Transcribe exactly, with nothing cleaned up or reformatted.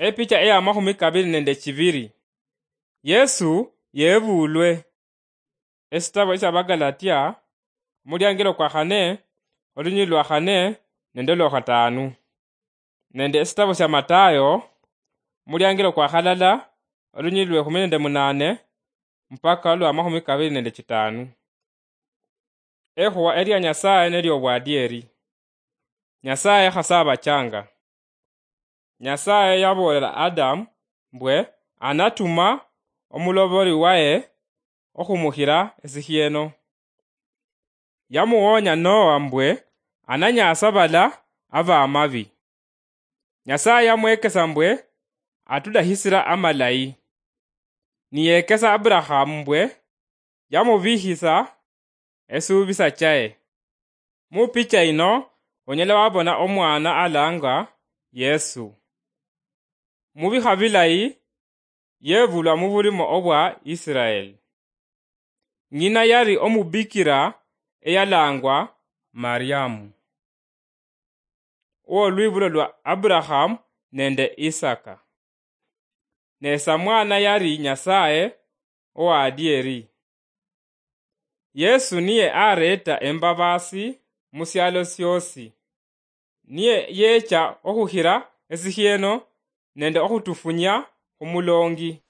Epicha eya makhumi kabiri nende chibiri. Yesu yebulwe. Esitabo esya Bagalatia, omuliangilo kwa khane, olunyili lwa khane nende olwa khatanu. Nende esitabo sya Matayo, omuliangilo kwa khalala, olunyili lwe khumi nende munane mpaka olwa makhumi kabiri nende chitanu. Ekhuwa elia Nyasaye nelio obwadieri. Nyasaye khasabachanga. Nyasaye yaboolela Adamu mbwe anatuma omuloboli waye okhumukhira esikhieno. Yamuwonya Noa mbwe ananyasa bala abamabi. Nyasaye yamwekesa mbwe atulahisira amalayi. Niyekesa Aburahamu mbwe yamubihisa esuubisa chaye. Mu picha yino, onyala wabona omwana alangwa Yesu. Mu bikha bilayi, yebulwa mu bulimo obwa Israel. Ng'ina yali omubikira eyalangwa Mariamu, owolwibulo lwa Aburahamu nende Isaka. Ne samwana yali Nyasaye owadieri. Yesu niye areta embabasi mu syalo syosi. Niye yecha okhukhira esikhieno nende okhutufunya khumulongi.